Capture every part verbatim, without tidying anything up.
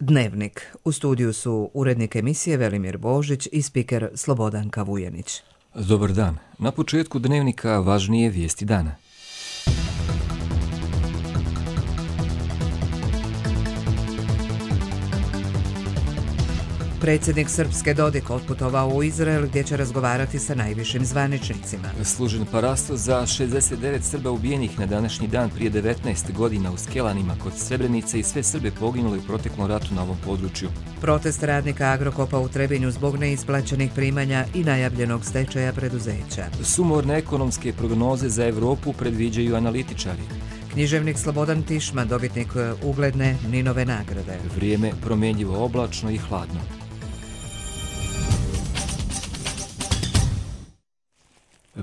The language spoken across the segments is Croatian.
Dnevnik. U studiju su urednik emisije Velimir Božić i spiker Slobodanka Vujenić. Dobar dan. Na početku Dnevnika važnije vijesti dana. Predsjednik Srpske Dodik otputovao u Izrael gdje će razgovarati sa najvišim zvaničnicima. Služen parastos za šezdeset devet Srba ubijenih na današnji dan prije devetnaest godina u Skelanima kod Srebrenice i sve Srbe poginuli u proteklom ratu na ovom području. Protest radnika Agrokopa u Trebinju zbog neisplaćenih primanja i najavljenog stečaja preduzeća. Sumorne ekonomske prognoze za Evropu predviđaju analitičari. Književnik Slobodan Tišma, dobitnik ugledne Ninove nagrade. Vrijeme promjenjivo, oblačno i hladno.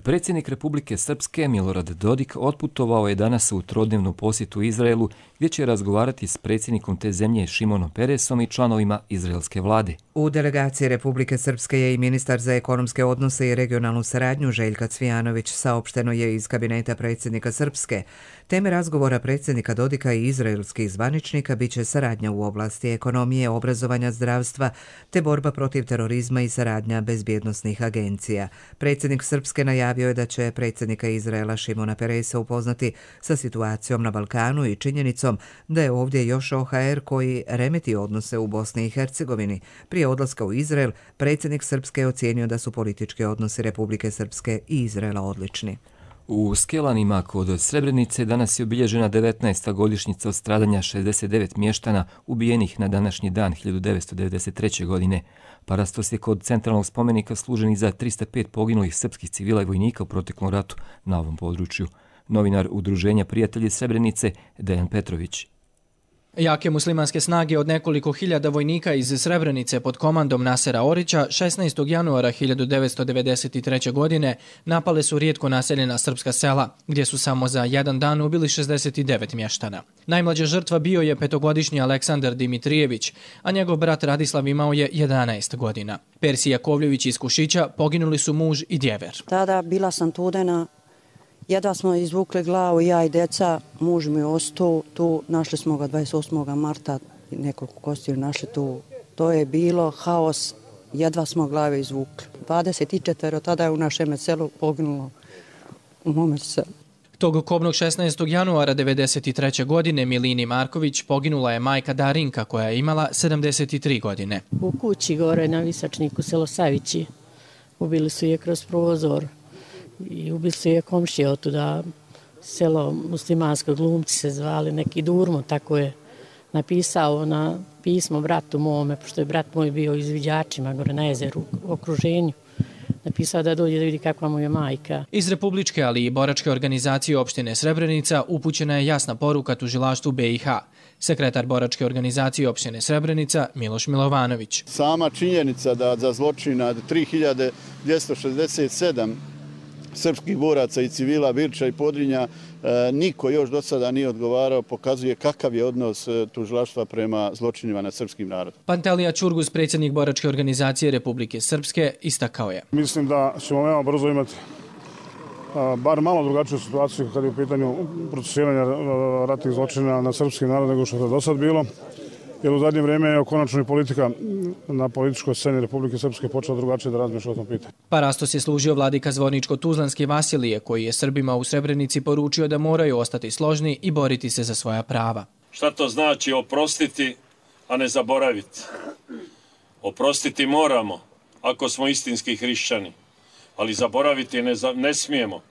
Predsjednik Republike Srpske Milorad Dodik otputovao je danas u trodnevnu posjetu Izraelu gdje će razgovarati s predsjednikom te zemlje Šimonom Peresom i članovima izraelske vlade. U delegaciji Republike Srpske je i ministar za ekonomske odnose i regionalnu saradnju Željka Cvijanović, saopšteno je iz kabineta predsjednika Srpske. Teme razgovora predsjednika Dodika i izraelskih zvaničnika biće saradnja u oblasti ekonomije, obrazovanja, zdravstva te borba protiv terorizma i saradnja bezbjednosnih agencija. Predsjednik Srpske najavio je da će predsjednika Izraela Šimona Peresa upoznati sa situacijom na Balkanu i činjenicom da je ovdje još O H R koji remeti odnose u Bosni i Hercegovini. Prije odlaska u Izrael, predsjednik Srpske je ocijenio da su politički odnosi Republike Srpske i Izraela odlični. U Skelanima kod Srebrenice danas je obilježena devetnaesta godišnjica od stradanja šezdeset devet mještana ubijenih na današnji dan hiljadu devetsto devedeset treće. godine. Parastos je kod centralnog spomenika služen i za tristo pet poginulih srpskih civila i vojnika u proteklom ratu na ovom području. Novinar Udruženja Prijatelji Srebrenice Dejan Petrović. Jake muslimanske snage od nekoliko hiljada vojnika iz Srebrenice pod komandom Nasera Orića šesnaestog januara hiljadu devetsto devedeset treće. godine napale su rijetko naseljena srpska sela, gdje su samo za jedan dan ubili šezdeset devet mještana. Najmlađa žrtva bio je petogodišnji Aleksandar Dimitrijević, a njegov brat Radislav imao je jedanaest godina. Persi Jakovljević iz Kušića poginuli su muž i djever. Tada bila sam tudena. Jedva smo izvukli glavu, ja i djeca, muž mi je ostao tu, našli smo ga dvadeset osmog marta, nekoliko kostiju našli tu. To je bilo haos, jedva smo glave izvukli. dvadeset četiri tada je u našem selu poginulo, u mome selu. Tog kobnog šesnaestog januara devedeset treće. godine Milini Marković poginula je majka Darinka koja je imala sedamdeset tri godine. U kući gore na Visačniku, selo Savići, ubili su je kroz prozor. I ubili su je komšije od tuda, selo muslimansko, Glumci se zvali, neki Durmo, tako je napisao na pismo bratu mome, pošto je brat moj bio izviđačima gore na jezeru, u okruženju. Napisao da dođe da vidi kakva mu je majka. Iz Republičke, ali i boračke organizacije opštine Srebrenica upućena je jasna poruka tužilaštvu B i H. Sekretar boračke organizacije opštine Srebrenica Miloš Milovanović. Sama činjenica da za zločin nad tri hiljade dvjesto šezdeset sedam srpskih boraca i civila Birča i Podrinja e, niko još do sada nije odgovarao, pokazuje kakav je odnos e, tužilaštva prema zločinima nad srpskim narodom. Pantelija Čurgus, predsjednik boračke organizacije Republike Srpske, istakao je. Mislim da ćemo veoma brzo imati a, bar malo drugačiju situaciju kad je u pitanju procesuiranja ratnih zločina nad srpskim narodom nego što je do sad bilo. Jer u zadnje vrijeme je konačno i politika na političkoj sceni Republike Srpske počela drugačije da razmišlja o tom pitanju. Parastos je služio vladika Zvorničko-Tuzlanski Vasilije, koji je Srbima u Srebrenici poručio da moraju ostati složni i boriti se za svoja prava. Šta to znači oprostiti, a ne zaboraviti? Oprostiti moramo, ako smo istinski hrišćani, ali zaboraviti ne, za, ne smijemo.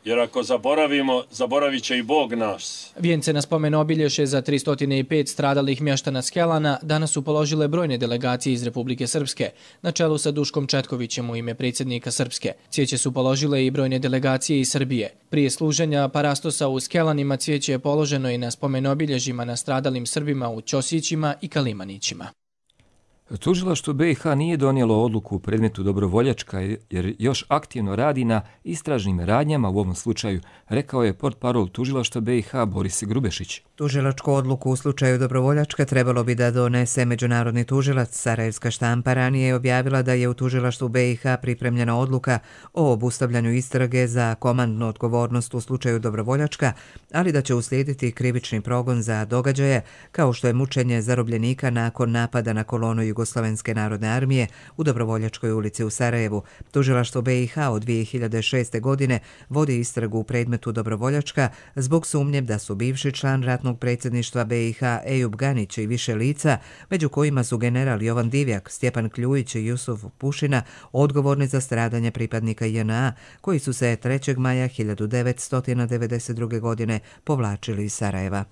Jer ako zaboravimo, zaboravit će i Bog nas. Vijence na spomen obilježe za tristo pet stradalih mještana Skelana danas su položile brojne delegacije iz Republike Srpske, na čelu sa Duškom Četkovićem u ime predsjednika Srpske. Cvijeće su položile i brojne delegacije iz Srbije. Prije služenja parastosa u Skelanima cvijeće je položeno i na spomen obilježima na stradalim Srbima u Ćosićima i Kalimanićima. Tužilaštvo B i H nije donijelo odluku u predmetu Dobrovoljačka jer još aktivno radi na istražnim radnjama u ovom slučaju, rekao je portparol Tužilaštva B i H Boris Grubešić. Tužilačku odluku u slučaju Dobrovoljačka trebalo bi da donese međunarodni tužilac. Sarajevska štampa ranije je objavila da je u Tužilaštvu B i H pripremljena odluka o obustavljanju istrage za komandnu odgovornost u slučaju Dobrovoljačka, ali da će uslijediti krivični progon za događaje kao što je mučenje zarobljenika nakon napada na kolonu Jugoslovenske narodne armije u Dobrovoljačkoj ulici u Sarajevu. Tužilaštvo B i H od dvije hiljade šeste. godine vodi istragu u predmetu Dobrovoljačka zbog sumnje da su bivši član ratnog predsjedništva B i H Ejub Ganić i više lica, među kojima su general Jovan Divjak, Stjepan Kljujić i Jusuf Pušina, odgovorni za stradanje pripadnika J N A koji su se trećeg maja hiljadu devetsto devedeset druge. godine povlačili iz Sarajeva.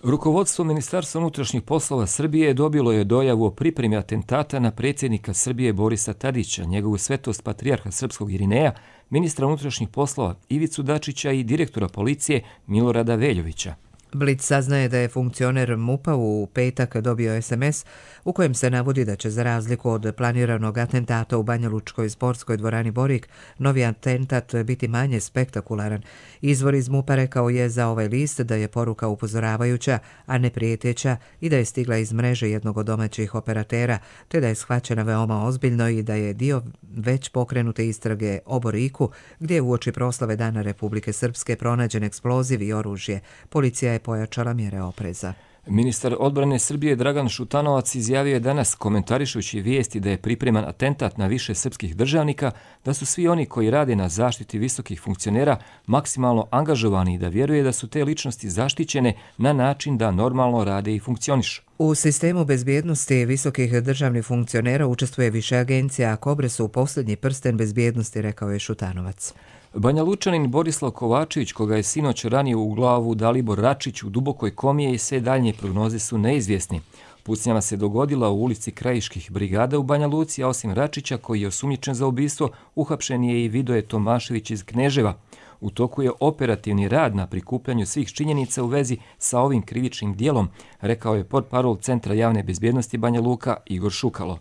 Rukovodstvo Ministarstva unutrašnjih poslova Srbije dobilo je dojavu o pripremi atentata na predsjednika Srbije Borisa Tadića, njegovu svetost patrijarha srpskog Irineja, ministra unutrašnjih poslova Ivicu Dačića i direktora policije Milorada Veljovića. Blic saznaje da je funkcioner MUP-a u petak dobio es em es u kojem se navodi da će za razliku od planiranog atentata u Banjalučkoj sportskoj dvorani Borik, novi atentat biti manje spektakularan. Izvor iz MUP-a rekao je za ovaj list da je poruka upozoravajuća, a ne prijeteća i da je stigla iz mreže jednog od domaćih operatera, te da je shvaćena veoma ozbiljno i da je dio već pokrenute istrage o Boriku, gdje je uoči proslave Dana Republike Srpske pronađen eksploziv i oružje. Policija je pojačala mjere opreza. Ministar odbrane Srbije Dragan Šutanovac izjavio je danas, komentarišući vijesti da je pripreman atentat na više srpskih državnika, da su svi oni koji rade na zaštiti visokih funkcionera maksimalno angažovani i da vjeruje da su te ličnosti zaštićene na način da normalno rade i funkcionišu. U sistemu bezbjednosti visokih državnih funkcionera učestvuje više agencija, a Kobre su posljednji prsten bezbjednosti, rekao je Šutanovac. Banja Lučanin Borislav Kovačević, koga je sinoć ranio u glavu Dalibor Račić u dubokoj komije i sve daljnje prognoze su neizvjesni. Pucnjava se dogodila u ulici Krajiških brigada u Banja Luci, a osim Račića, koji je osumnjičen za ubistvo, uhapšen je i Vidoje Tomašević iz Kneževa. U toku je operativni rad na prikupljanju svih činjenica u vezi sa ovim krivičnim dijelom, rekao je portparol Centra javne bezbjednosti Banja Luka Igor Šukalo.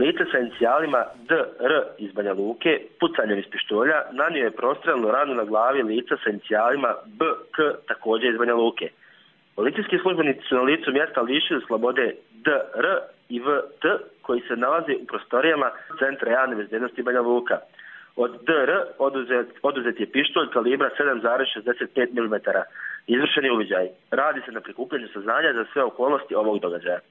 Lice sa inicijalima D R iz Banja Luke pucanjem iz pištolja nanio je prostrelnu ranu na glavi lica sa inicijalima B K također iz Banja Luke. Policijski službenici su na licu mjesta lišili slobode D R i V T koji se nalazi u prostorijama Centra javne bezbjednosti Banja Luka. Od D R oduzet, oduzet je pištolj kalibra sedam zarez šezdeset pet milimetara. Izvršeni uviđaj. Radi se na prikupljanju saznanja za sve okolnosti ovog događaja.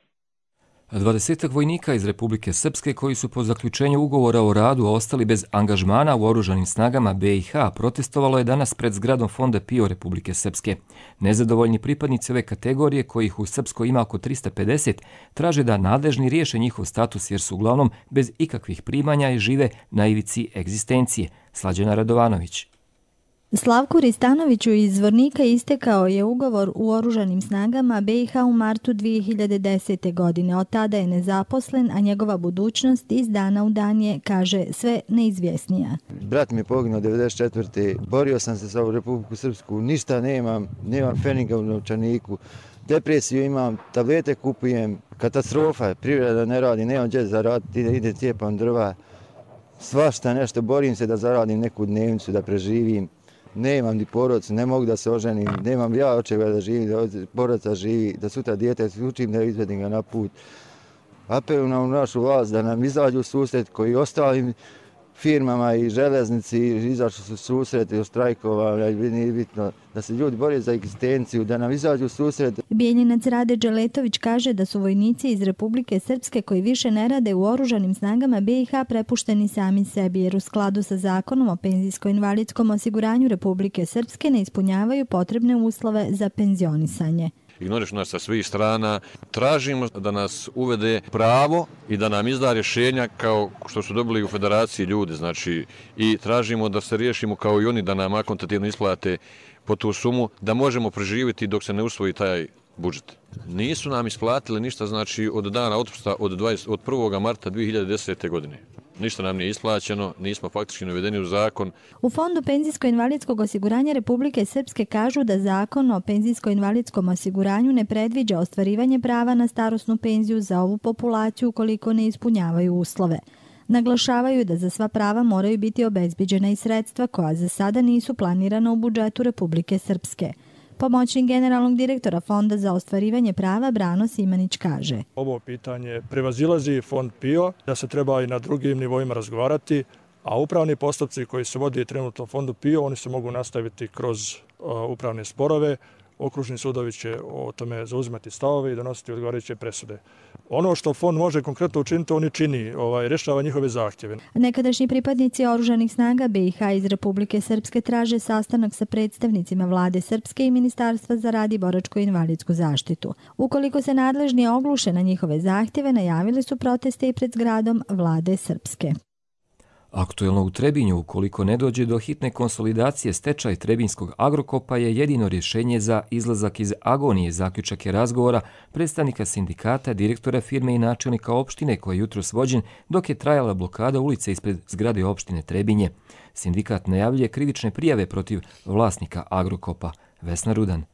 Dvadesetak vojnika iz Republike Srpske koji su po zaključenju ugovora o radu ostali bez angažmana u oružanim snagama B i H protestovalo je danas pred zgradom Fonda P I O Republike Srpske. Nezadovoljni pripadnici ove kategorije, kojih u Srpskoj ima oko trista pedeset, traže da nadležni riješe njihov status jer su uglavnom bez ikakvih primanja i žive na ivici egzistencije. Slađana Radovanović. Slavku Ristanoviću iz Zvornika istekao je ugovor u oružanim snagama B i H u martu dvije hiljade desete. godine. Od tada je nezaposlen, a njegova budućnost iz dana u dan je, kaže, sve neizvjesnija. Brat mi je poginuo devedeset četvrte. Borio sam se sa Republiku Srpsku, ništa nemam, nemam feninga u novčaniku, depresiju imam, tablete kupujem, katastrofa, privreda ne radi, nemam gdje zaraditi, ide, ide cijepam drva, svašta nešto, borim se da zaradim neku dnevnicu, da preživim. Nemam ni porodicu, ne mogu da se oženim, nemam ja od čega da živim, da porodica živi, da sutra dijete učim da izvedim ga na put. Apelujem na našu vlast da nam izađu u susret koji ostalim firmama i železnici izašli su susret i štrajkovali, nije bitno da se ljudi bore za egzistenciju, da nam izađu u susret. Bijeljinac Rade Đeletović kaže da su vojnici iz Republike Srpske koji više ne rade u oružanim snagama B i H prepušteni sami sebi jer u skladu sa zakonom o penzijsko-invalidskom osiguranju Republike Srpske ne ispunjavaju potrebne uslove za penzionisanje. Ignorišu nas sa svih strana, tražimo da nas uvede pravo i da nam izda rješenja kao što su dobili u federaciji ljudi, znači i tražimo da se riješimo kao i oni da nam akontativno isplate po tu sumu, da možemo preživjeti dok se ne usvoji taj budžet. Nisu nam isplatili ništa, znači od dana otpusta od, dvadeset, od prvog marta dvije hiljade desete. godine. ništa nam nije isplaćeno, nismo faktički navedeni u zakon. U Fondu penzijsko-invalidskog osiguranja Republike Srpske kažu da zakon o penzijsko-invalidskom osiguranju ne predviđa ostvarivanje prava na starosnu penziju za ovu populaciju ukoliko ne ispunjavaju uslove. Naglašavaju da za sva prava moraju biti obezbiđena i sredstva koja za sada nisu planirana u budžetu Republike Srpske. Pomoćnik generalnog direktora Fonda za ostvarivanje prava Brano Simanić kaže: Ovo pitanje prevazilazi Fond P I O, da se treba i na drugim nivoima razgovarati, a upravni postupci koji se vodi trenutno u Fondu P I O, oni se mogu nastaviti kroz upravne sporove. Okružni sudovi će o tome zauzimati stavove i donositi odgovarajuće presude. Ono što fond može konkretno učiniti, on i čini, ovaj, rješava njihove zahtjeve. Nekadašnji pripadnici oružanih snaga B i H iz Republike Srpske traže sastanak sa predstavnicima vlade Srpske i Ministarstva za rad i boračko-invalidsku zaštitu. Ukoliko se nadležni ogluše na njihove zahtjeve, najavili su proteste i pred zgradom vlade Srpske. Aktuelno u Trebinju, ukoliko ne dođe do hitne konsolidacije, stečaj Trebinskog Agrokopa je jedino rješenje za izlazak iz agonije, zaključak je razgovora predstavnika sindikata, direktora firme i načelnika opštine koji je jutros vođen dok je trajala blokada ulice ispred zgrade opštine Trebinje. Sindikat najavljuje krivične prijave protiv vlasnika Agrokopa. Vesna Rudan.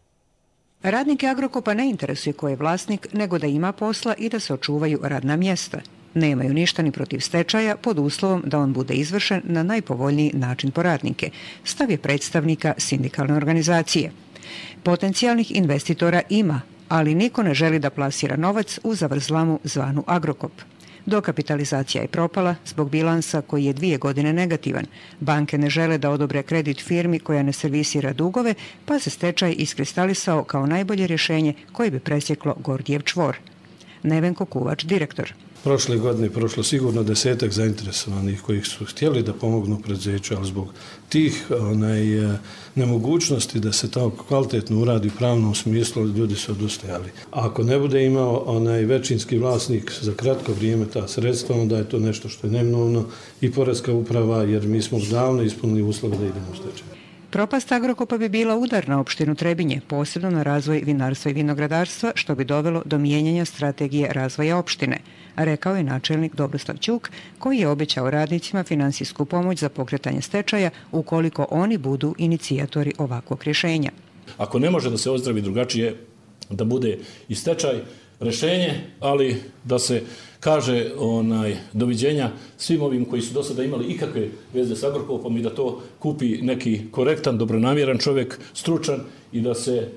Radnike Agrokopa ne interesuje ko je vlasnik, nego da ima posla i da se očuvaju radna mjesta. Nemaju ništa ni protiv stečaja pod uslovom da on bude izvršen na najpovoljniji način po radnike, stav je predstavnika sindikalne organizacije. Potencijalnih investitora ima, ali niko ne želi da plasira novac u zavrzlamu zvanu Agrokop. Dokapitalizacija je propala zbog bilansa koji je dvije godine negativan. Banke ne žele da odobre kredit firmi koja ne servisira dugove, pa se stečaj iskristalisao kao najbolje rješenje koje bi presjeklo Gordijev čvor. Nevenko Kuvač, direktor. Prošle godine prošlo sigurno desetak zainteresovanih kojih su htjeli da pomognu preduzeću, ali zbog tih onaj, nemogućnosti da se to kvalitetno uradi u pravnom smislu, ljudi su odustajali. A ako ne bude imao onaj većinski vlasnik za kratko vrijeme ta sredstva, onda je to nešto što je neminovno i Poreska uprava, jer mi smo davno ispunili uslove da idemo u stečaj. Propast Agrokopa bi bila udar na opštinu Trebinje, posebno na razvoj vinarstva i vinogradarstva, što bi dovelo do mijenjanja strategije razvoja opštine, rekao je načelnik Dobroslav Ćuk, koji je obećao radnicima finansijsku pomoć za pokretanje stečaja ukoliko oni budu inicijatori ovakvog rješenja. Ako ne može da se ozdravi drugačije, da bude i stečaj rješenje, ali da se kaže onaj doviđenja svim ovim koji su do sada imali ikakve veze s Agrokopom i da to kupi neki korektan, dobronamjeran čovjek, stručan i da se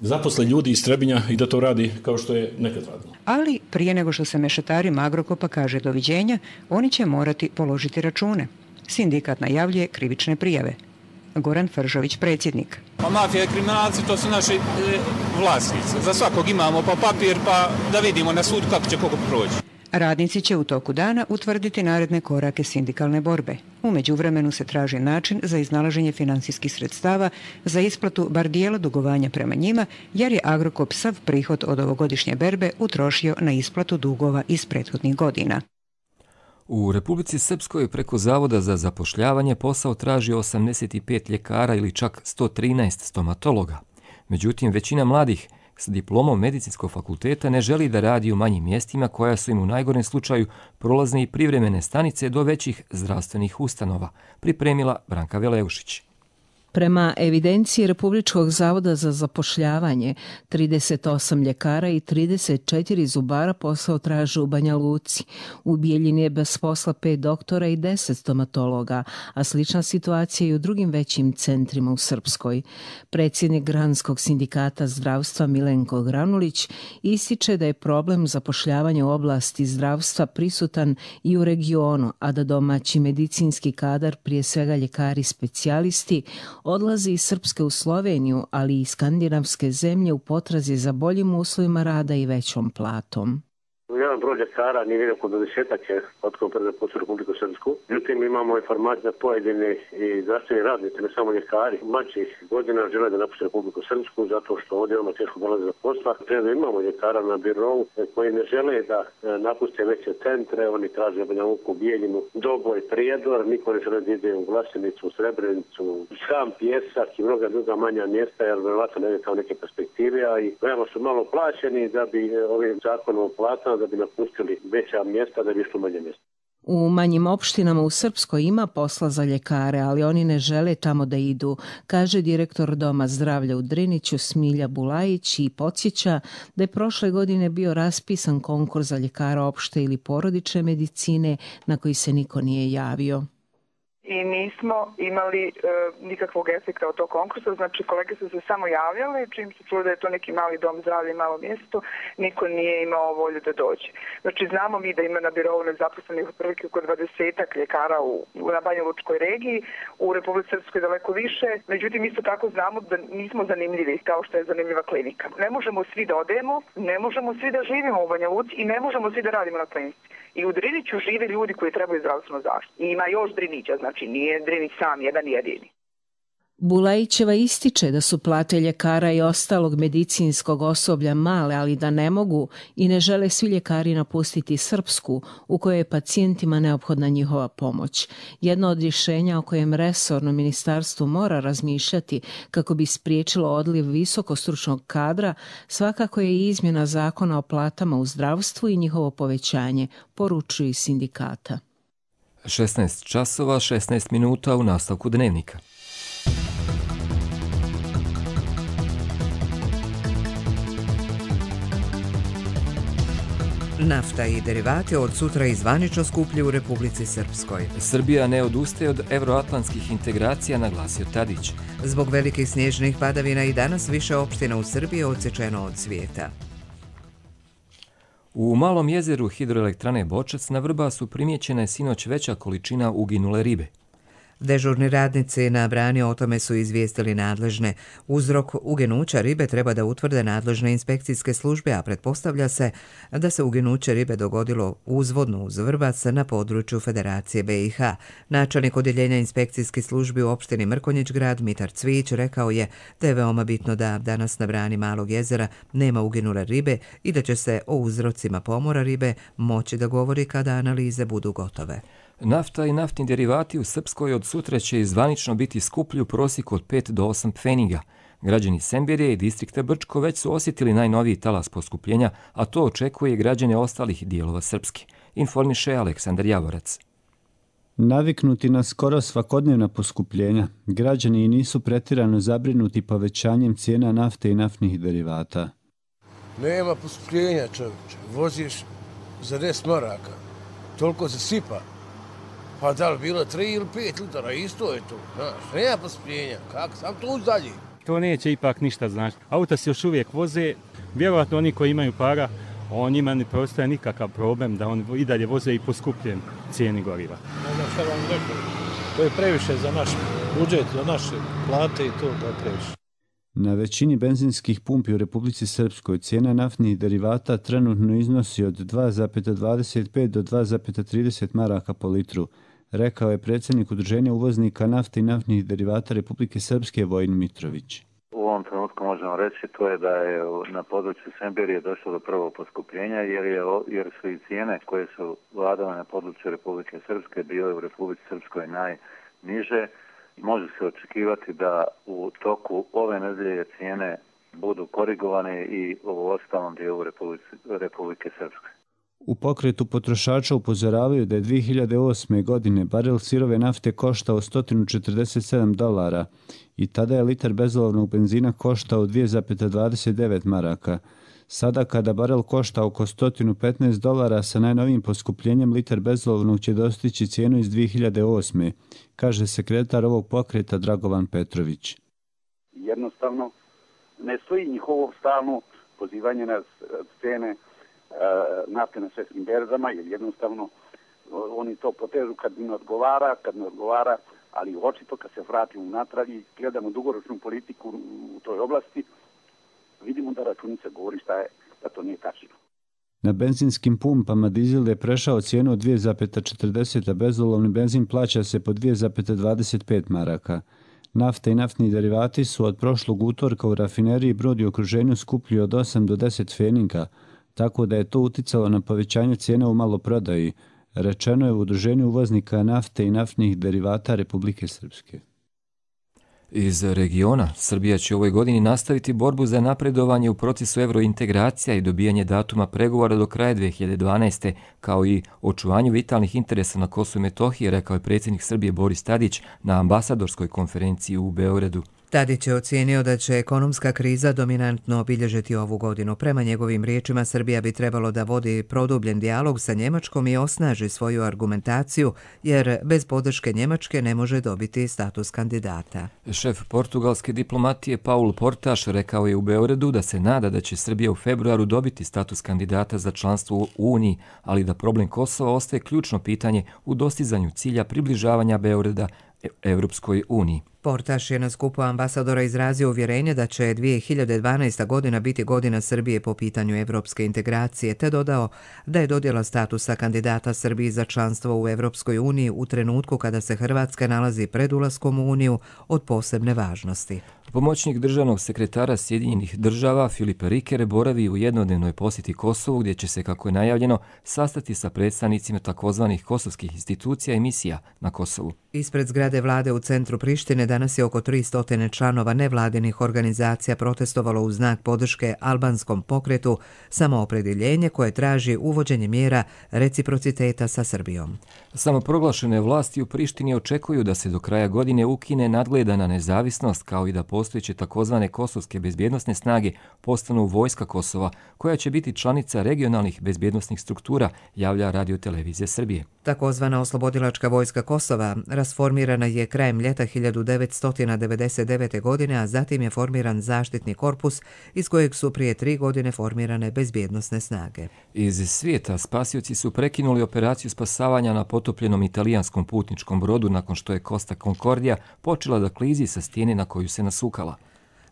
zaposle ljudi iz Trebinja i da to radi kao što je nekad radilo. Ali prije nego što se mešetarima Agrokopa kaže doviđenja, oni će morati položiti račune. Sindikat najavljuje krivične prijave. Goran Fržović, predsjednik. Pa mafija i kriminalci, to su naši e, vlasnici. Za svakog imamo pa papir, pa da vidimo na sudu kako će koga proći. Radnici će u toku dana utvrditi naredne korake sindikalne borbe. U međuvremenu se traži način za iznalaženje finansijskih sredstava za isplatu bar dijela dugovanja prema njima, jer je Agrokop sav prihod od ovogodišnje berbe utrošio na isplatu dugova iz prethodnih godina. U Republici Srpskoj preko Zavoda za zapošljavanje posao traži osamdeset pet ljekara ili čak sto trinaest stomatologa. Međutim, većina mladih s diplomom medicinskog fakulteta ne želi da radi u manjim mjestima koja su im u najgorem slučaju prolazne i privremene stanice do većih zdravstvenih ustanova, pripremila Branka Veleušić. Prema evidenciji Republičkog zavoda za zapošljavanje, trideset osam ljekara i trideset četiri zubara posao traže u Banja Luci. U Bijeljini je bez posla pet doktora i deset stomatologa, a slična situacija i u drugim većim centrima u Srpskoj. Predsjednik Granskog sindikata zdravstva Milenko Granulić ističe da je problem zapošljavanja u oblasti zdravstva prisutan i u regionu, a da domaći medicinski kadar, prije svega ljekari specijalisti, odlazi iz Srpske u Sloveniju, ali i skandinavske zemlje u potrazi za boljim uslovima rada i većom platom. Jedan broj ljekara nije vidio kod desetak je otkako preposlao Republiku Srpsku. Međutim, imamo informacije da pojedini i zdravstveni radnici, ne samo ljekari, mlađih godina žele da napuste Republiku Srpsku zato što ovdje imamo teško dolaze za posla. Prema imamo ljekara na birovu koji ne žele da napuste veće centre, oni traže Banja Luku, Bijeljinu, Doboj, Prijedor, niko ne žele da ide u Glasenicu, u Srebrenicu, Sam, Pjesak i mnoga druga manja mjesta, jer verovatno ne kao neke perspektive, a i veoma su malo plaćeni da bi ovim zakonom o platama da bi napustili veća mjesta, da bi išlo manje mjesta. U manjim opštinama u Srpskoj ima posla za ljekare, ali oni ne žele tamo da idu, kaže direktor Doma zdravlja u Driniću Smilja Bulajić i podsjeća da je prošle godine bio raspisan konkurs za ljekara opšte ili porodične medicine na koji se niko nije javio. I nismo imali e, nikakvog efekta od tog konkursa, znači kolege su se samo javljale, čim se čuo da je to neki mali dom zdravlja i malo mjesto, niko nije imao volju da dođe. Znači znamo mi da ima na birovu nezaposlenih otprilike oko dvadesetak ljekara u, na Banja Lučkoj regiji, u Republici Srpskoj daleko više, međutim isto tako znamo da nismo zanimljivi kao što je zanimljiva klinika. Ne možemo svi da odemo, ne možemo svi da živimo u Banja Luci i ne možemo svi da radimo na klinici. I u Driniću žive ljudi koji trebaju zdravstvenu zaštitu. I ima još Drinića, znači nije Drinić sam jedan jedini. Bulajićeva ističe da su plate ljekara i ostalog medicinskog osoblja male, ali da ne mogu i ne žele svi ljekari napustiti Srpsku, u kojoj je pacijentima neophodna njihova pomoć. Jedno od rješenja o kojem resorno ministarstvo mora razmišljati kako bi spriječilo odliv visokostručnog kadra svakako je i izmjena zakona o platama u zdravstvu i njihovo povećanje, poručuju iz sindikata. šesnaest časova, šesnaest minuta u nastavku dnevnika. Nafta i derivati od sutra i zvanično skuplji u Republici Srpskoj. Srbija ne odustaje od evroatlantskih integracija, naglasio Tadić. Zbog velikih snježnih padavina i danas više opština u Srbiji odsječeno od svijeta. U Malom jezeru hidroelektrane Bočac na Vrbasu primijećena je sinoć veća količina uginule ribe. Dežurni radnici na brani o tome su izvijestili nadležne. Uzrok uginuća ribe treba da utvrde nadležne inspekcijske službe, a pretpostavlja se da se uginuće ribe dogodilo uzvodno uz Vrbac na području Federacije B i H. Načelnik odjeljenja inspekcijskih službi u opštini Mrkonjić grad Mitar Cvić rekao je da je veoma bitno da danas na brani Malog jezera nema uginule ribe i da će se o uzrocima pomora ribe moći da govori kada analize budu gotove. Nafta i naftni derivati u Srpskoj od sutra će zvanično biti skuplji u prosjeku od pet do osam pfeniga. Građani Semberije i distrikta Brčko već su osjetili najnoviji talas poskupljenja, a to očekuje i građane ostalih dijelova Srpske. Informiše Aleksandar Javorac. Naviknuti na skoro svakodnevna poskupljenja, građani nisu pretirano zabrinuti povećanjem cijena nafte i naftnih derivata. Nema poskupljenja, čovječe. Voziš za deset maraka. Toliko se sipa. Pa da li bilo tri ili pet litara, isto je to, znaš, nema poskupljenja, kako, sam to uz dalje. To neće ipak ništa znači. Auta se još uvijek voze, vjerojatno oni koji imaju para, on njima ne preostaje nikakav problem da on i dalje voze i poskupljen cijeni goriva. Ne znam šta vam rekao, to je previše za naš budžet, za naše plate i to, to je previše. Na većini benzinskih pumpi u Republici Srpskoj cijena naftnih derivata trenutno iznosi od dva zarez dvadeset pet do dva zarez trideset maraka po litru, rekao je predsjednik Udruženja uvoznika nafte i naftnih derivata Republike Srpske Vojin Mitrović. U ovom trenutku možemo reći to je da je na području Semberije došlo do prvog poskupljenja jer, je, jer su i cijene koje su vladale na području Republike Srpske bile u Republici Srpskoj najniže. Može se očekivati da u toku ove nedelje cijene budu korigovane i u ostalom dijelu Republike, Republike Srpske. U pokretu potrošača upozoravaju da je dvije hiljade osme. godine barel sirove nafte koštao sto četrdeset sedam dolara i tada je litar bezolovnog benzina koštao dvije zarez dvadeset devet maraka. Sada kada barel košta oko sto petnaest dolara sa najnovijim poskupljenjem litar bezolovnog će dostići cijenu iz dvije hiljade osme. kaže sekretar ovog pokreta Dragovan Petrović. Jednostavno ne stoji njihovo stalno pozivanje na cene nafte na svjetskim berzama, jer jednostavno oni to potežu kad im odgovara, kad ne odgovara, ali očito kad se vratimo unatrag i gledamo dugoročnu politiku u toj oblasti, vidimo da računica govori šta je, da to nije tačno. Na benzinskim pumpama dizel je prešao cijenu od dvije zarez četrdeset, a bezolovni benzin plaća se po dvije zarez dvadeset pet maraka. Nafta i naftni derivati su od prošlog utorka u rafineriji Brod i okruženju skuplji od osam do deset pfeniga, tako da je to uticalo na povećanje cijena u maloprodaji, rečeno je u Udruženju uvoznika nafte i naftnih derivata Republike Srpske. Iz regiona, Srbija će u ovoj godini nastaviti borbu za napredovanje u procesu evrointegracija i dobijanje datuma pregovora do kraja dve hiljade dvanaeste. kao i očuvanju vitalnih interesa na Kosovu i Metohiji, rekao je predsjednik Srbije Boris Tadić na ambasadorskoj konferenciji u Beogradu. Tadić je ocijenio da će ekonomska kriza dominantno obilježiti ovu godinu. Prema njegovim riječima, Srbija bi trebalo da vodi produbljen dijalog sa Njemačkom i osnaži svoju argumentaciju, jer bez podrške Njemačke ne može dobiti status kandidata. Šef portugalske diplomatije Paul Portaš rekao je u Beogradu da se nada da će Srbija u februaru dobiti status kandidata za članstvo u Uniji, ali da problem Kosova ostaje ključno pitanje u dostizanju cilja približavanja Beograda Evropskoj uniji. Portaš je na skupu ambasadora izrazio uvjerenje da će dvije hiljade dvanaesta. godina biti godina Srbije po pitanju evropske integracije, te dodao da je dodjela statusa kandidata Srbiji za članstvo u Evropskoj uniji u trenutku kada se Hrvatska nalazi pred ulaskom u Uniju od posebne važnosti. Pomoćnik državnog sekretara Sjedinjenih država Filip Riker boravi u jednodnevnoj posjeti Kosovu, gdje će se, kako je najavljeno, sastati sa predstavnicima takozvanih kosovskih institucija i misija na Kosovu. Ispred zgrade vlade u centru Prištine danas je oko tristo članova nevladinih organizacija protestovalo u znak podrške albanskom pokretu Samoopredjeljenje, koje traži uvođenje mjera reciprociteta sa Srbijom. Samoproglašene vlasti u Prištini očekuju da se do kraja godine ukine nadgledana nezavisnost, kao i da postojeće takozvane kosovske bezbjednosne snage postanu vojska Kosova, koja će biti članica regionalnih bezbjednosnih struktura, javlja Radio-televizija Srbije. Takozvana oslobodilačka vojska Kosova rasformirana je krajem ljeta hiljadu devetsto devedeset devete. godine, a zatim je formiran zaštitni korpus iz kojeg su prije tri godine formirane bezbjednosne snage. Iz svijeta spasioci su prekinuli operaciju spasavanja na potopljenom italijanskom putničkom brodu nakon što je Costa Concordia počela da klizi sa stijene na koju se nasukala.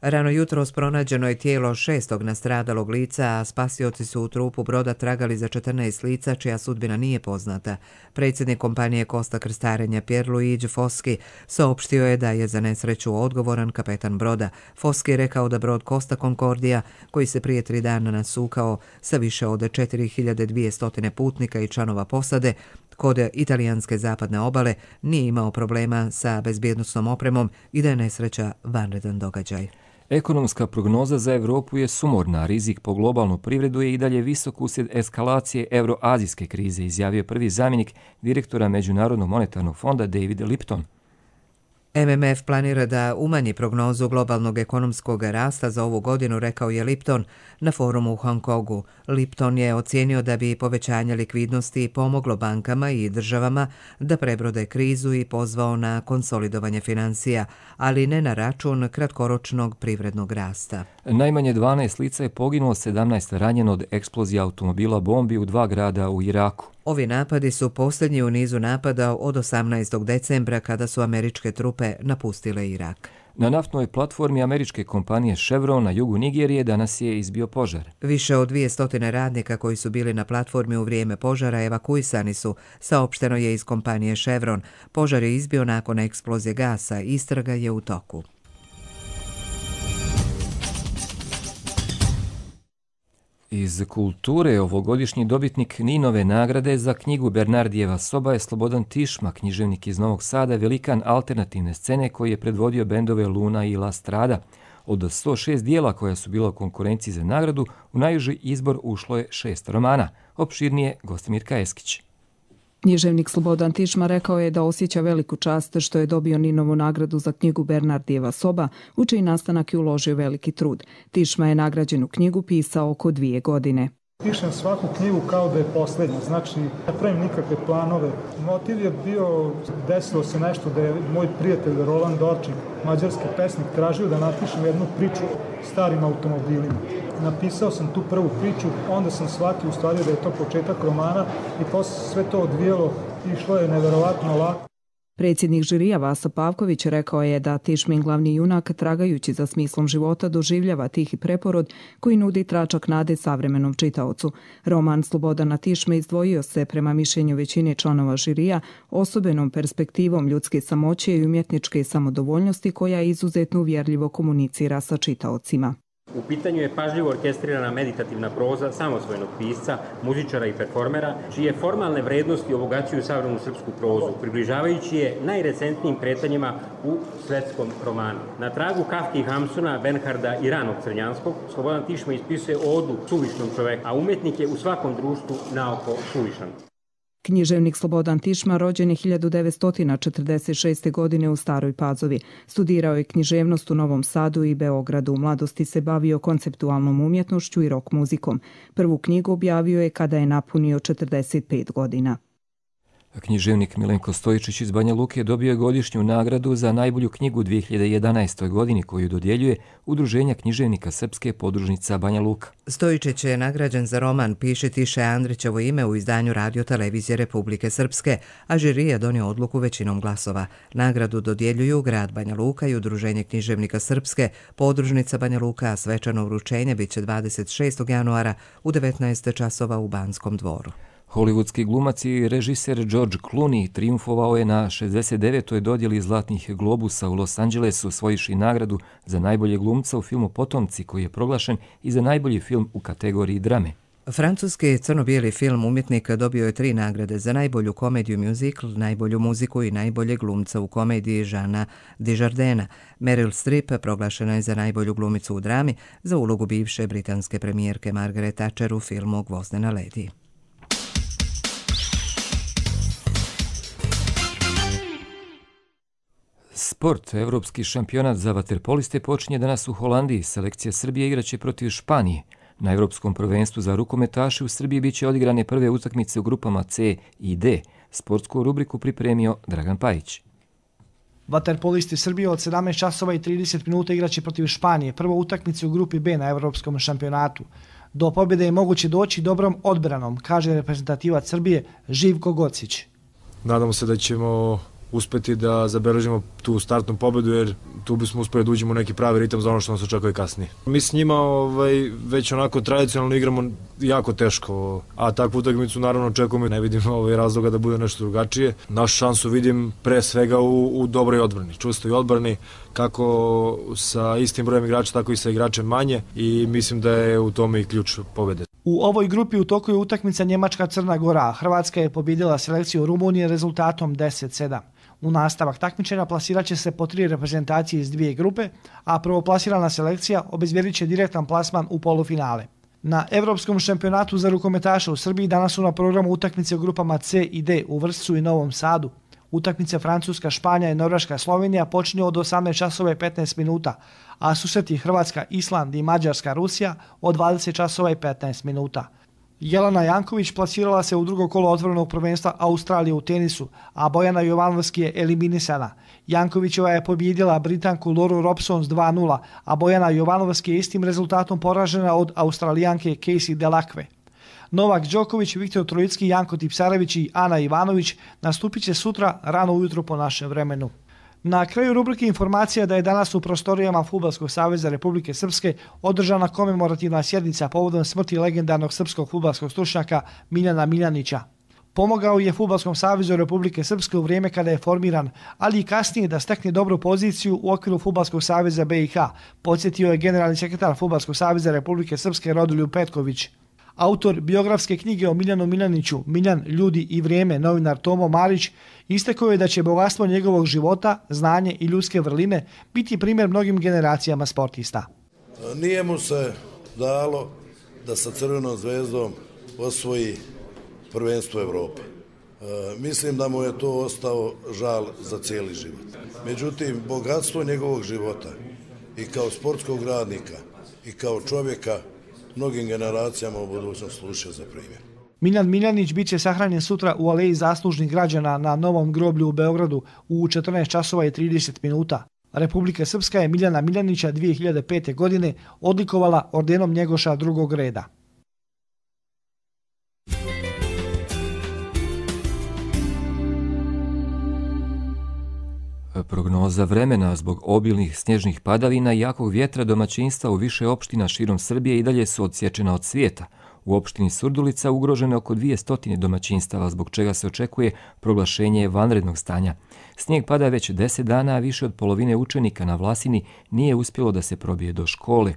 Rano jutros pronađeno je tijelo šestog nastradalog lica, a spasioci su u trupu broda tragali za četrnaest lica čija sudbina nije poznata. Predsjednik kompanije Costa krstarenja Pierluigi Foschi saopštio je da je za nesreću odgovoran kapetan broda. Foschi je rekao da brod Costa Concordia, koji se prije tri dana nasukao sa više od četiri hiljade dvjesto putnika i članova posade, kod italijanske zapadne obale nije imao problema sa bezbjednosnom opremom i da je nesreća vanredan događaj. Ekonomska prognoza za Evropu je sumorna, rizik po globalnu privredu je i dalje visok uslijed eskalacije euroazijske krize, izjavio prvi zamjenik direktora Međunarodnog monetarnog fonda David Lipton. M M F planira da umanji prognozu globalnog ekonomskog rasta za ovu godinu, rekao je Lipton na forumu u Hong Kongu. Lipton je ocijenio da bi povećanje likvidnosti pomoglo bankama i državama da prebrode krizu i pozvao na konsolidovanje financija, ali ne na račun kratkoročnog privrednog rasta. Najmanje dvanaest lica je poginulo, sedamnaest ranjeno od eksplozije automobila bombi u dva grada u Iraku. Ovi napadi su posljednji u nizu napada od osamnaestog decembra kada su američke trupe napustile Irak. Na naftnoj platformi američke kompanije Chevron na jugu Nigerije danas je izbio požar. Više od dvjesto radnika koji su bili na platformi u vrijeme požara evakuisani su, saopšteno je iz kompanije Chevron. Požar je izbio nakon eksplozije gasa, istraga je u toku. Iz kulture ovogodišnji dobitnik Ninove nagrade za knjigu Bernardijeva soba je Slobodan Tišma, književnik iz Novog Sada, velikan alternativne scene koji je predvodio bendove Luna i La Strada. Od sto šest dijela koja su bila u konkurenciji za nagradu, u najuži izbor ušlo je šest romana. Opširnije Gostimirka Eskić. Književnik Slobodan Tišma rekao je da osjeća veliku čast što je dobio Ninovu nagradu za knjigu Bernardijeva soba, u čiji nastanak je uložio veliki trud. Tišma je nagrađenu knjigu pisao oko dvije godine. Pišem svaku knjigu kao da je posljednja, znači ne pravim nikakve planove. Motiv je bio, desilo se nešto da je moj prijatelj Roland Dorčik, mađarski pesnik, tražio da napišem jednu priču o starim automobilima. Napisao sam tu prvu priču, onda sam shvatio u stvari da je to početak romana i posle sve to odvijelo, išlo je neverovatno lako. Predsjednik žirija Vasa Pavković rekao je da Tišmin glavni junak, tragajući za smislom života, doživljava tihi preporod koji nudi tračak nade savremenom čitaocu. Roman Slobodana Tišme izdvojio se, prema mišljenju većine članova žirija, osobenom perspektivom ljudske samoće i umjetničke samodovoljnosti koja izuzetno uvjerljivo komunicira sa čitaocima. U pitanju je pažljivo orkestrirana meditativna proza samosvojnog pisca, muzičara i performera, čije formalne vrednosti obogaćuju savremenu srpsku prozu, približavajući je najrecentnijim kretanjima u svetskom romanu. Na tragu Kafke i Hamsuna, Bernharda i ranog Crnjanskog, Slobodan Tišma ispisuje odu suvišnom čoveku, a umetnik je u svakom društvu naoko suvišan. Književnik Slobodan Tišma rođen je hiljadu devetsto četrdeset šeste. godine u Staroj Pazovi. Studirao je književnost u Novom Sadu i Beogradu. U mladosti se bavio konceptualnom umjetnošću i rock muzikom. Prvu knjigu objavio je kada je napunio četrdeset pet godina. Književnik Milenko Stojičić iz Banja Luke dobio je godišnju nagradu za najbolju knjigu u dvije hiljade jedanaestoj. godini koju dodjeljuje Udruženja književnika Srpske podružnica Banja Luka. Stojičić je nagrađen za roman Piši Tiše Andrićevo ime u izdanju Radio televizije Republike Srpske, a žiri je donio odluku većinom glasova. Nagradu dodjeljuju grad Banja Luka i Udruženje književnika Srpske podružnica Banja Luka, a svečano vrućenje biće dvadeset šestog januara u devetnaest časova u Banskom dvoru. Hollywoodski glumac i režiser George Clooney triumfovao je na šezdeset devetoj dodjeli Zlatnih globusa u Los Angelesu, osvojivši nagradu za najbolje glumca u filmu Potomci, koji je proglašen i za najbolji film u kategoriji drame. Francuski crno-bijeli film Umjetnik dobio je tri nagrade za najbolju komediju musical, najbolju muziku i najbolje glumca u komediji Žana Desjardina. Meryl Streep proglašena je za najbolju glumicu u drami za ulogu bivše britanske premijerke Margaret Thatcher u filmu Gvozdena ledi. Sport, evropski šampionat za vaterpoliste počinje danas u Holandiji. Selekcija Srbije igraće protiv Španije. Na evropskom prvenstvu za rukometaše u Srbiji biće odigrane prve utakmice u grupama C i D. Sportsku rubriku pripremio Dragan Pajić. Vaterpolisti Srbije od sedamnaest časova i trideset minuta igraće protiv Španije, prvo utakmice u grupi B na evropskom šampionatu. Do pobjede je moguće doći dobrom odbranom, kaže reprezentativac Srbije Živko Gocić. Nadamo se da ćemo uspeti da zabeležimo tu startnu pobedu, jer tu bismo uspeli da uđemo u neki pravi ritam za ono što nas očekuje kasnije. Mi s njima ovaj, već onako tradicionalno igramo jako teško, a takvu utakmicu naravno očekujemo. Ne vidim ovaj, razloga da bude nešto drugačije. Našu šansu vidim pre svega u, u dobroj odbrani, čvrstoj odbrani, kako sa istim brojem igrača, tako i sa igračem manje, i mislim da je u tome i ključ pobede. U ovoj grupi u toku je utakmica Njemačka-Crna Gora. Hrvatska je pobjedila selekciju Rumunije rezultatom deset sedam. U nastavak takmičenja plasirat će se po tri reprezentacije iz dvije grupe, a prvoplasirana selekcija obezbjedit će direktan plasman u polufinale. Na evropskom šampionatu za rukometaše u Srbiji danas su na programu utakmice u grupama C i D u Vršcu i Novom Sadu. Utakmice Francuska, Španija i Norveška, Slovenija počinju od osamnaest časova i petnaest minuta, a susreti Hrvatska, Island i Mađarska, Rusija od dvadeset časova i petnaest minuta. Jelena Janković plasirala se u drugo kolo otvorenog prvenstva Australije u tenisu, a Bojana Jovanovski je eliminisana. Jankovićeva je pobjedila Britanku Lauru Robson s dva nula, a Bojana Jovanovski je istim rezultatom poražena od Australijanke Casey Delacque. Novak Đoković, Viktor Trojicki, Janko Tipsarević i Ana Ivanović nastupit će sutra rano ujutro po našem vremenu. Na kraju rubrike informacija da je danas u prostorijama Fudbalskog saveza Republike Srpske održana komemorativna sjednica povodom smrti legendarnog srpskog fudbalskog stručnjaka Miljana Miljanića. Pomogao je Fudbalskom savezu Republike Srpske u vrijeme kada je formiran, ali i kasnije da stekne dobru poziciju u okviru Fudbalskog saveza B i H, podsjetio je generalni sekretar Fudbalskog saveza Republike Srpske Rodoljub Petković. Autor biografske knjige o Miljanu Miljaniću, Miljan, ljudi i vrijeme, novinar Tomo Marić, istakao je da će bogatstvo njegovog života, znanje i ljudske vrline biti primjer mnogim generacijama sportista. Nije mu se dalo da sa Crvenom zvezdom osvoji prvenstvo Evrope. E, mislim da mu je to ostao žal za cijeli život. Međutim, bogatstvo njegovog života i kao sportskog radnika i kao čovjeka mnogim generacijama u budućnosti služe za primjer. Miljan Miljanić bit će sahranjen sutra u Aleji zaslužnih građana na Novom groblju u Beogradu u četrnaest časova i trideset minuta. Republika Srpska je Miljana Miljanića dvije hiljade pete. godine odlikovala ordenom Njegoša drugog reda. Prognoza vremena zbog obilnih snježnih padavina i jakog vjetra domaćinstva u više opština širom Srbije i dalje su odsječena od svijeta. U opštini Surdulica ugroženo je oko dvjesto domaćinstava, zbog čega se očekuje proglašenje vanrednog stanja. Snijeg pada već deset dana, a više od polovine učenika na Vlasini nije uspjelo da se probije do škole.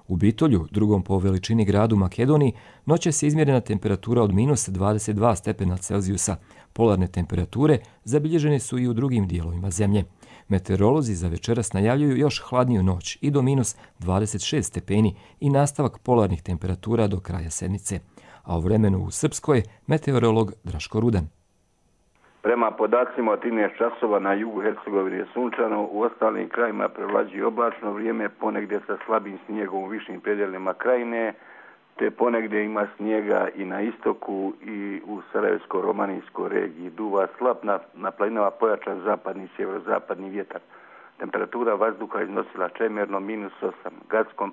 U Bitolju, drugom po veličini gradu Makedoniji, noćas je izmjerena temperatura od minus dvadeset dva stepena Celzijusa. Polarne temperature zabilježene su i u drugim dijelovima zemlje. Meteorolozi za večeras najavljuju još hladniju noć i do minus dvadeset šest stepeni i nastavak polarnih temperatura do kraja sedmice. A o vremenu u Srpskoj meteorolog Draško Rudan. Prema podacima od trinaest časova na jugu Hercegovine je sunčano, u ostalim krajima prevlađuje oblačno vrijeme, ponegdje sa slabim snijegom u višim predjelima krajine, te ponegdje ima snijega i na istoku i u Sarajevsko-Romanijskoj regiji. Duva slab, na, na planinama pojačan zapadni i sjeverozapadni vjetar. Temperatura vazduha iznosila čemerno minus osam, Gackom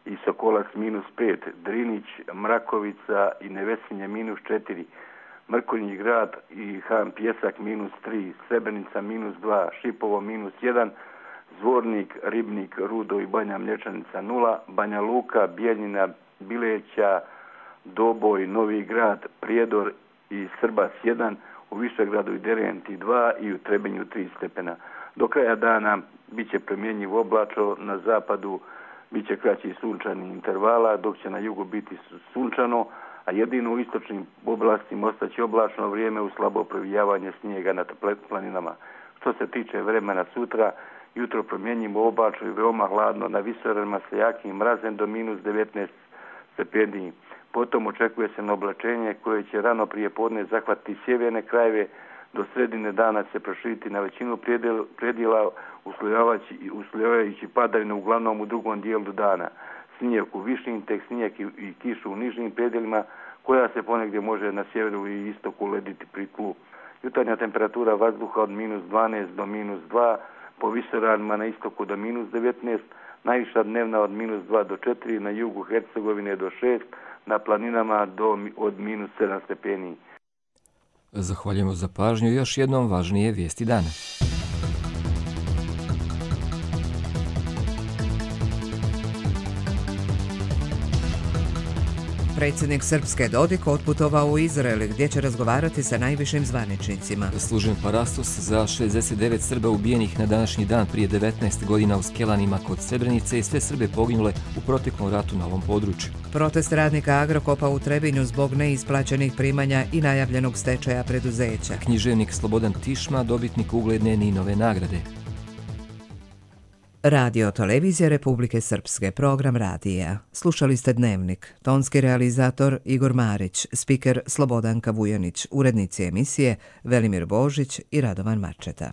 i Sokolac minus pet, Drinić, Mrakovica i Nevesinje minus četiri, Mrkonji grad i Han Pjesak minus tri, Srebrenica minus dva, Šipovo minus jedan, Zvornik, Ribnik, Rudo i Banja Mlječanica nula, Banja Luka, Bijeljina, Bileća, Doboj, Novi grad, Prijedor i Srbas jedan, u Višegradu i Derenti dva i u Trebinju tri stepena. Do kraja dana bit će promjenjivo oblačno, na zapadu bit će kraći sunčani intervala, dok će na jugu biti sunčano, a jedino u istočnim oblastima ostaće oblačno vrijeme u slabo provijavanje snijega na planinama. Što se tiče vremena sutra, jutro promjenjivo oblačno i veoma hladno, na visoravnima sa jakim mrazem do minus devetnaest stepeni. Potom očekuje se na oblačenje koje će rano prije podne zahvatiti sjeverne krajeve, do sredine dana se proširiti na većinu predjela uslojavajući padavine uglavnom u drugom dijelu dana. Snijeg u višim, tek snijeg i, i kišu u nižim predjelima, koja se ponegdje može na sjeveru i istoku lediti pri tlu. Jutarnja temperatura vazduha od minus dvanaest do minus dva, po visoravnima na istoku do minus devetnaest, najviša dnevna od minus dva do četiri, na jugu Hercegovine do šest, na planinama do, od minus sedam stepeni. Zahvaljujemo za pažnju i još jednom važnije vijesti dana. Predsjednik Srpske Dodik otputovao u Izrael gdje će razgovarati sa najvišim zvaničnicima. Služen parastos za šezdeset devet Srba ubijenih na današnji dan prije devetnaest godina u Skelanima kod Srebrenice i sve Srbe poginule u proteklom ratu na ovom području. Protest radnika Agrokopa u Trebinju zbog neisplaćenih primanja i najavljenog stečaja preduzeća. Književnik Slobodan Tišma, dobitnik ugledne Ninove nagrade. Radio Televizija Republike Srpske, program radija. Slušali ste Dnevnik. Tonski realizator Igor Marić, spiker Slobodanka Vujanić, urednici emisije Velimir Božić i Radovan Marčeta.